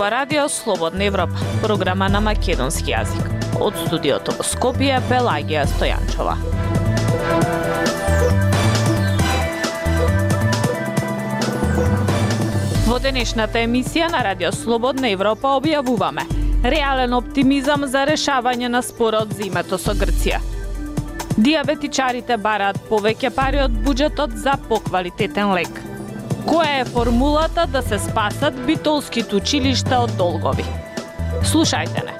ова радио Слободна Европа, програма на македонски јазик. Од студиото во Скопје, Пелагија Стојанчова. Во денешната емисија на радио Слободна Европа објавуваме реален оптимизам за решавање на спорот за името со Грција. Диабетичарите бараат повеќе пари од буџетот за поквалитетен лек. Која е формулата да се спасат битолските училишта од долгови? Слушајте не.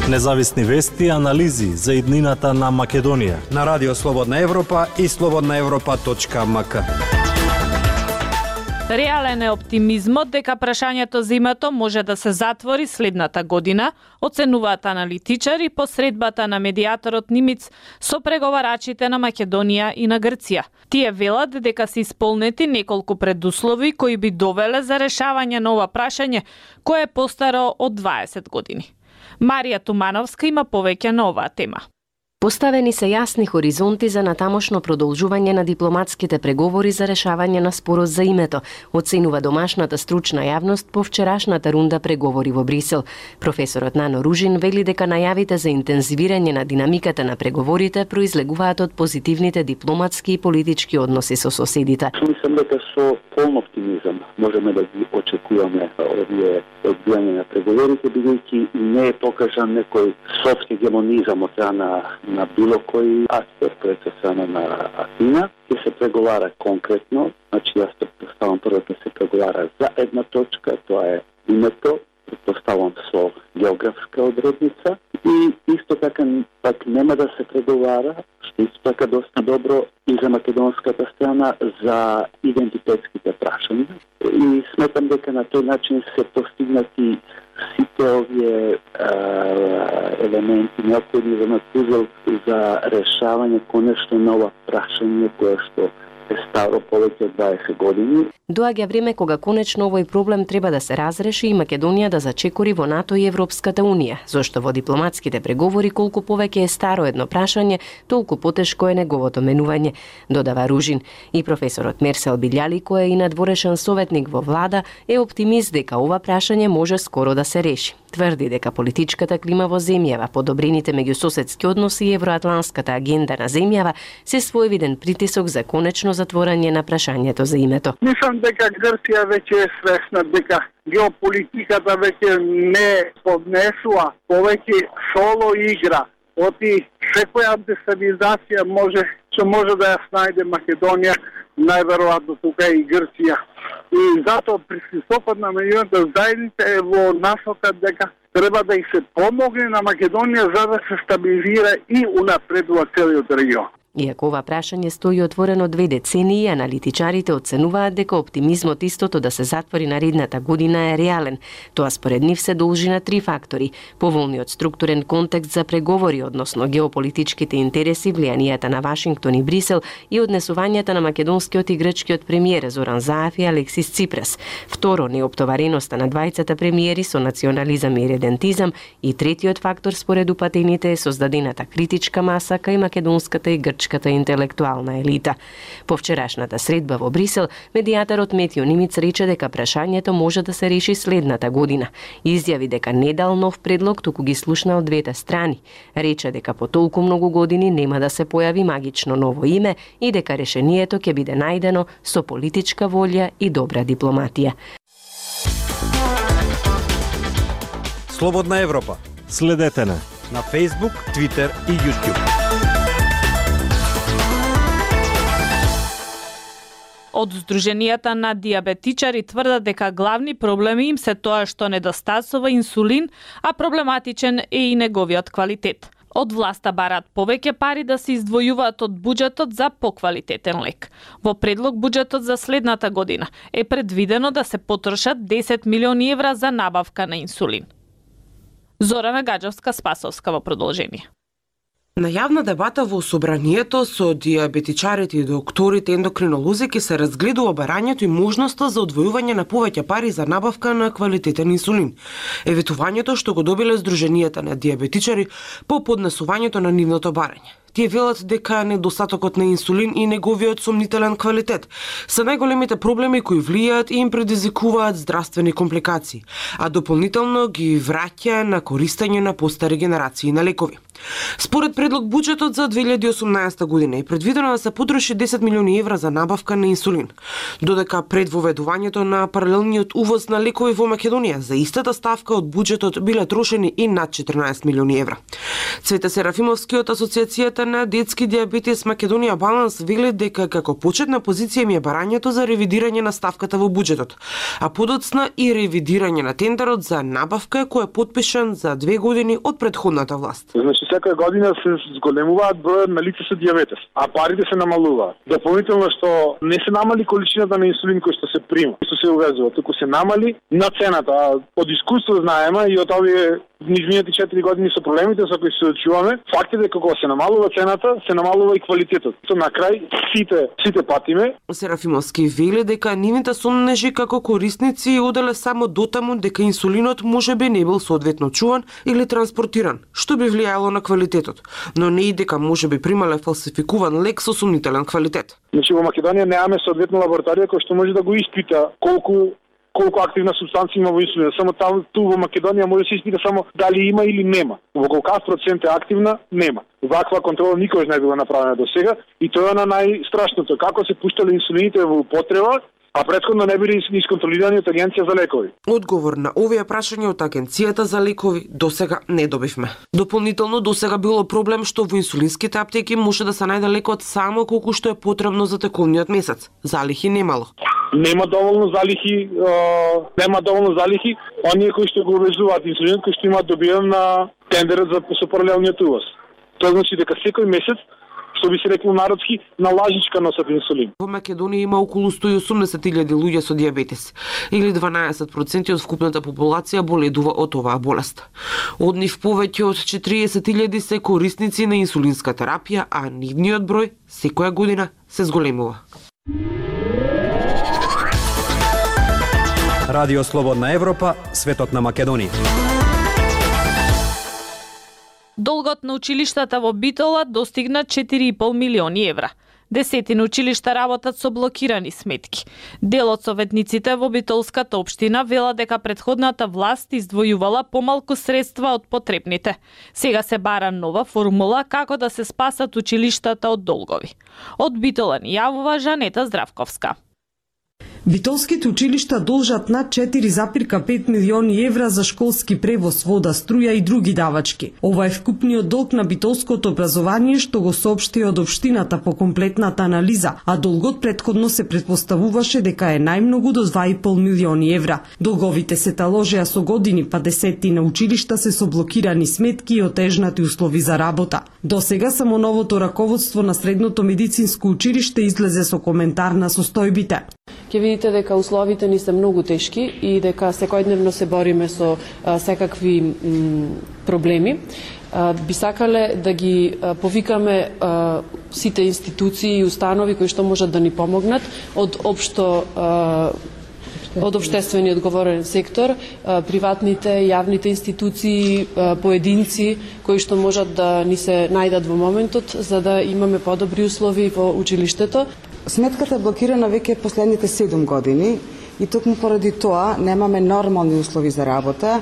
Независни вести и анализи за иднината на Македонија на радио Слободна Европа и slobodnaevropa.mk. Реален е оптимизмот дека прашањето за името може да се затвори следната година, оценуваат аналитичари по средбата на медијаторот Нимиц со преговарачите на Македонија и на Грција. Тие велат дека се исполнети неколку предуслови кои би довеле за решавање на ова прашање, кое е постаро од 20 години. Марија Тумановска има повеќе на оваа тема. Поставени се јасни хоризонти за натамошно продолжување на дипломатските преговори за решавање на спорот за името, оценува домашната стручна јавност по вчерашната рунда преговори во Брисел. Професорот Нано Ружин вели дека најавите за интензивирање на динамиката на преговорите произлегуваат од позитивните дипломатски и политички односи со соседите. Мислам дека со полн оптимизам можеме да ги очекуваме овие одбијање на преговорите, бидејќи не е покажан некој софт хегемонизам од страна на било кој аспект пред страна на Атина. Ќе се преговара конкретно, значи јас предпоставам прво ќе се преговара за една точка, тоа е името, предпоставам со географска одредница, и исто така пак нема да се преговара, што исто така доста добро и за македонската страна, за идентитетските прашања. И сметам дека на тој начин се постигнати сите овие елементи неопходни за пузел за решавање конечно на ова прашање кое што е старо повеќе од 20 години. Доаѓа време кога конечно овој проблем треба да се разреши и Македонија да зачекори во НАТО и Европската Унија, зашто во дипломатските преговори колку повеќе е старо едно прашање, толку потешко е неговото менување, додава Ружин. И професорот Мерсел Билјали, кој е и надворешен советник во влада, е оптимист дека ова прашање може скоро да се реши. Тврди дека политичката клима во земјава, подобрените меѓусоседски односи и евроатлантската агенда на земјава се своевиден притисок за конечно затворање на прашањето за името. Мислам дека Грција веќе е свесна дека геополитиката веќе не поднесува повеќе соло игра. Оти секоја дестабилизација може да ја снајде Македонија, најверојатно тука и Грција. И затоа пристисокот на меѓународната заедница е во насока дека треба да и се помогне на Македонија за да се стабилизира и унапредува целиот регион. Иако ова прашање стои отворено 2 децении, аналитичарите оценуваат дека оптимизмот истото да се затвори наредната година е реален. Тоа според нив се должи на 3 фактори: поволниот структурен контекст за преговори, односно геополитичките интереси, влијанијата на Вашингтон и Брисел и однесувањата на македонскиот и грчкиот премиер Зоран Заев и Алексис Ципрас. Второ, неоптовареноста на двајцата премиери со национализам и редентизам, и третиот фактор според упатените е создадената критичка маса кај македонската и грчката интелектуална елита. По вчерашната средба во Брисел, медијаторот Метјо Нимиц рече дека прашањето може да се реши следната година. Изјави дека не дал нов предлог, туку ги слушнал двете страни. Рече дека по толку многу години нема да се појави магично ново име и дека решението ќе биде најдено со политичка волја и добра дипломатија. Слободна Европа. Следете на Facebook, Twitter и YouTube. Од Сдруженијата на диабетичари тврдат дека главни проблеми им се тоа што недостасува инсулин, а проблематичен е и неговиот квалитет. Од власта бараат повеќе пари да се издвојуваат од буџетот за поквалитетен лек. Во предлог буџетот за следната година е предвидено да се потрошат 10 милиони евра за набавка на инсулин. Зорана Гаджевска-Спасовска во продолжение. На јавна дебата во собранието со диабетичарите и докторите ендокринолози ќе се разгледува барањето и можноста за одвојување на повеќе пари за набавка на квалитетен инсулин. Е ветувањето што го добиле Сдруженијата на диабетичари по поднесувањето на нивното барање. Тие велат дека недостатокот на инсулин и неговиот сомнителен квалитет се најголемите проблеми кои влијаат и им предизвикуваат здравствени компликации, а дополнително ги враќа на користење на постари генерации на лекови. Според предлог буџетот за 2018 година е предвидено да се потроши 10 милиони евра за набавка на инсулин, додека пред воведувањето на паралелниот увоз на лекови во Македонија за истата ставка од буџетот биле трошени и над 14 милиони евра. Цвете Серафимовски од Асоциацијата на детски диабетес Македонија Баланс вели дека како почетна позиција ми е барањето за ревидирање на ставката во буџетот, а подоцна и ревидирање на тендерот за набавка кој е потпишан за 2 години од претходната власт. Значи секоја година се зголемуваат бројот на лица со диабетес, а парите се намалуваат. Дополнително што не се намали количината на инсулин кој што се прима, што се увезува, туку се намали на цената. Од искуство знаеме и од овие низмините 4 години со проблемите со кои се очуваме, факт е дека кога се намалува цената, се намалува и квалитетот. На крај сите патиме. Серафимовски вели дека нивните сомнежи како корисници оделе само дотаму дека инсулинот можеби не бил соодветно чуван или транспортиран, што би влијаело на квалитетот, но не и дека можеби примале фалсификуван лек со сомнителен квалитет. Значи во Македонија немаме соодветна лабораторија која што може да го испита колку активна субстанција има во инсулинот. Само ту во Македонија може да се испита само дали има или нема. Во колкав процент е активна, нема. Ваква контрола никош не била направена до сега и тоа е на најстрашното. Како се пуштале инсулините во употреба, а претходно не били исконтролирани од Агенција за лекови. Одговор на овие прашања од Агенцијата за лекови досега не добивме. Дополнително досега било проблем што во инсулинските аптеки може да се најде лекот само колку што е потребно за тековниот месец. Залихи немало. Нема доволно залихи, оние кои што го увезуваат инсулинот кои што имаат добиен на тендерот за паралелниот увоз. Тоа значи дека секој месец, што би се рекло народски, на лажичка носат инсулин. Во Македонија има околу 180.000 луѓе со диабетес, или 12% од вкупната популација боледува од оваа болест. Од нив повеќе од 40.000 се корисници на инсулинска терапија, а нивниот број секоја година се зголемува. Радио Слободна Европа, светот на Македонија. Долгот на училиштата во Битола достигна 4,5 милиони евра. Десетина училишта работат со блокирани сметки. Дел од советниците во Битолската општина вела дека претходната власт издвојувала помалку средства од потребните. Сега се бара нова формула како да се спасат училиштата од долгови. Од Битола ни јавува Жанета Здравковска. Битолските училишта должат над 4,5 милиони евра за школски превоз, вода, струја и други давачки. Ова е вкупниот долг на битолското образование што го соопшти од општината по комплетната анализа, а долгот претходно се претпоставуваше дека е најмногу до 2,5 милиони евра. Долговите се таложеа со години, па десетина училишта се со блокирани сметки и отежнати услови за работа. До сега само новото раководство на Средното медицинско училиште излезе со коментар на состојбите. Ќе видите дека условите ни се многу тешки и дека секојдневно се бориме со секакви проблеми. Би сакале да ги повикаме сите институции и установи кои што можат да ни помогнат од општествени одговорен сектор, приватните, јавните институции, поединци кои што можат да ни се најдат во моментот за да имаме подобри услови во училиштето. Сметката е блокирана веќе последните 7 години и токму поради тоа немаме нормални услови за работа.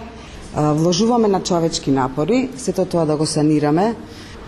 Вложуваме на човечки напори, сето тоа да го санираме.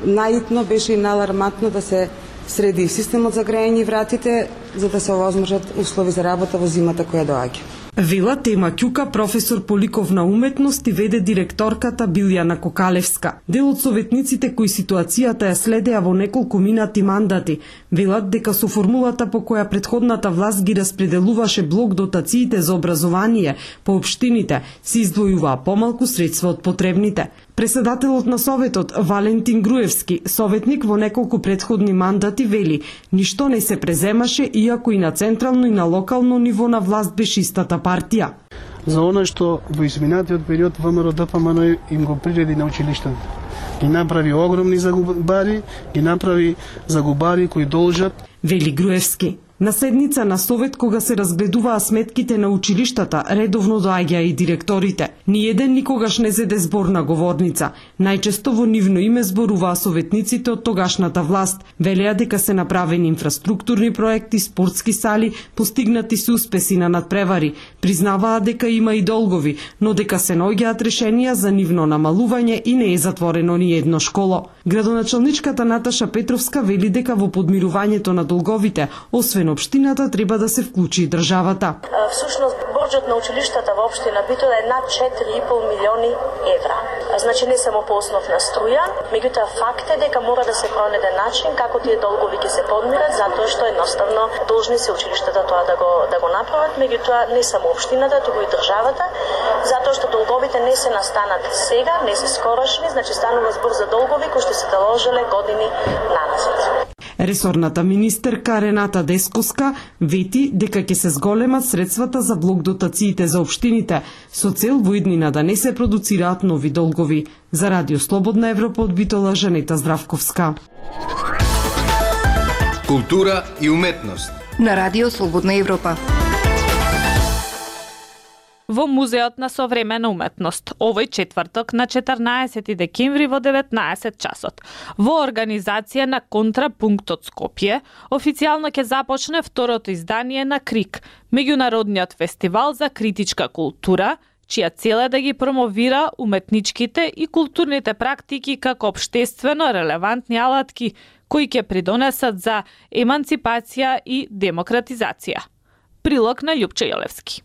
Најитно беше и најалармантно да се среди системот за грејење и вратите за да се овозможат услови за работа во зимата која доаѓа. Вела Тема Ќука, професор по ликовна уметност и веде директорката Билјана Кокалевска. Дел од советниците кои ситуацијата ја следеа во неколку минати мандати, велат дека со формулата по која претходната власт ги распределуваше блок дотациите за образование по општините, се издвојуваа помалку средства од потребните. Председателот на Советот, Валентин Груевски, советник во неколку претходни мандати, вели: ништо не се преземаше, иако и на централно и на локално ниво на власт беше истата партија. За оно што во изминатиот период ВМРО-ДПМН им го приреди на училиштата. Ги направи огромни загубари, ги направи загубари кои должат. Вели Груевски. На седница на Совет, кога се разгледуваа сметките на училиштата, редовно доаѓаа и директорите. Ниеден никогаш не зеде збор на говорница. Најчесто во нивно име зборуваа советниците од тогашната власт. Велеа дека се направени инфраструктурни проекти, спортски сали, постигнати се успеси на надпревари. Признаваа дека има и долгови, но дека се наоѓаат решенија за нивно намалување и не е затворено ни едно школо. Градоначалничката Наташа Петровска вели дека во подмирувањето на долговите, освен општината, треба да се вклучи и државата. Всушност, борџот на училиштата во општина Битола е над 4,5 милиони евра. Значи не само по основ на струја, меѓутоа факт е дека мора да се пронајде начин како тие долгови ќе се подмират, затоа што едноставно должни се училиштата тоа да го направат, меѓутоа не само општината, туку и државата, затоа што долговите не се настанат сега, не се скорошни, значи станува збор за долгови кои што се наложиле години наназад. Ресорната министерка Рената Десковска вети дека ќе се зголемат средствата за блок дотациите за општините со цел во иднина да не се продуцираат нови долгови. За Радио Слободна Европа од Битола, Жанета Здравковска. Култура и уметност на Радио Слободна Европа. Во Музеот на современа уметност, овој четврток на 14 декември во 19 часот. Во организација на Контрапунктот Скопје, официјално ќе започне второто издание на КРИК, меѓународниот фестивал за критичка култура, чија цел е да ги промовира уметничките и културните практики како општествено релевантни алатки кои ќе придонесат за еманципација и демократизација. Прилог на Љупче Јолевски.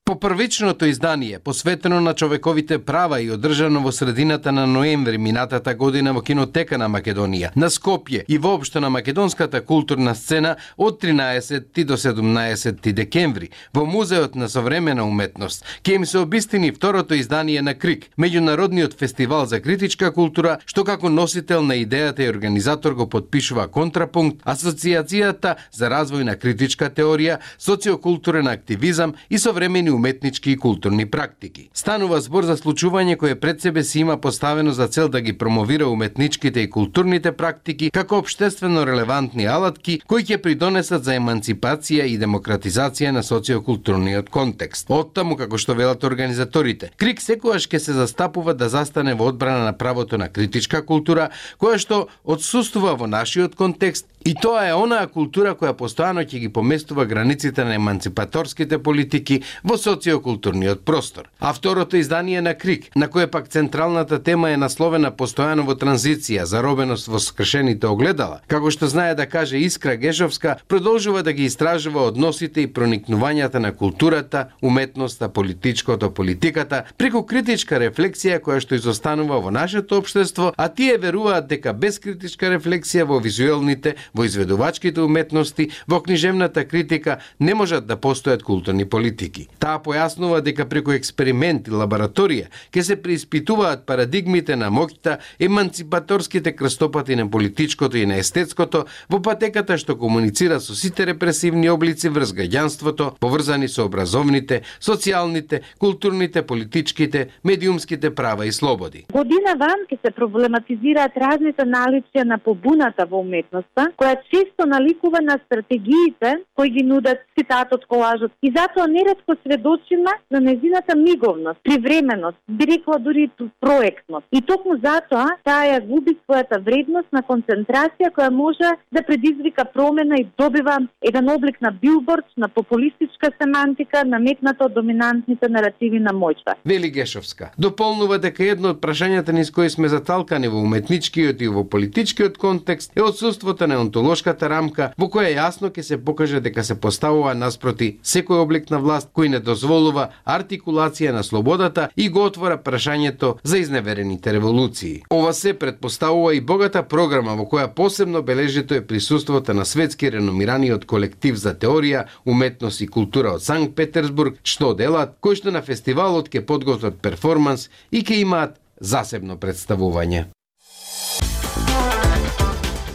По првичното издание, посветено на човековите права и одржано во средината на ноември минатата година во Кинотека на Македонија, на Скопје и воопшто на македонската културна сцена од 13 до 17 декември, во Музеот на современа уметност, ќе им се обистини второто издание на КРИК, меѓународниот фестивал за критичка култура, што како носител на идејата и организатор го подпишува Контрапункт, Асоциацијата за развој на критичка теорија, социокултурен активизам и современи уметнички и културни практики. Станува збор за случување кое пред себе си има поставено за цел да ги промовира уметничките и културните практики како општествено релевантни алатки кои ќе придонесат за еманципација и демократизација на социокултурниот контекст. Оттаму, како што велат организаторите, КРИК секогаш ќе се застапува да застане во одбрана на правото на критичка култура, која што отсуствува во нашиот контекст, и тоа е онаа култура која постојано ќе ги поместува границите на еманципаторските политики во социокултурниот простор. А второто издание на КРИК, на кое пак централната тема е насловена постојано во транзиција, заробеност во скршените огледала, како што знае да каже Искра Гешовска, продолжува да ги истражува односите и проникнувањата на културата, уметноста, политиката, преку критичка рефлексија која што изостанува во нашето општество, а тие веруваат дека без критичка рефлексија во визуелните, во изведувачките уметности, во книжевната критика не можат да постојат културни политики. Таа појаснува дека преку експеримент и лабораторија ќе се преиспитуваат парадигмите на моќта, еманципаторските крстопати на политичкото и на естетското во патеката што комуницира со сите репресивни облици врз граѓанството, поврзани со образовните, социјалните, културните, политичките, медиумските права и слободи. Година ван ќе се проблематизираат разните наличја на побуната во уметноста, која често наликува на стратегиите кои ги нудат цитатот, колажот, и затоа неретко сведочиме на незината миговност, привременост, би рекла дури проектност. И токму затоа таа ја губи својата вредност на концентрација која може да предизвика промена и добива еден облик на билборд, на популистичка семантика, наметната од доминантните наративи на моќта. Вели Гешовска. Дополнува дека едно од прашањата низ кои сме заталкани во уметничкиот и во политичкиот контекст е отсуството на онтолошката рамка во која јасно ќе се покаже дека се поставува наспроти секој облик на власт кој не дозволува артикулација на слободата и го отвора прашањето за изневерените револуции. Ова се предпоставува и богата програма во која посебно бележито е присуството на светски реномираниот колектив за теорија, уметност и култура од Санкт Петерсбург, што делат, кои што на фестивалот ќе подготват перформанс и ќе имаат засебно представување.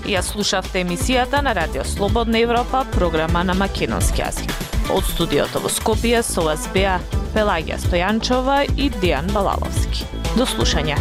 Ја слушавте емисијата на Радио Слободна Европа, програма на македонски јазик. Од студиото во Скопје со вас беа Пелагија Стојанчова и Дејан Балаловски. До слушање.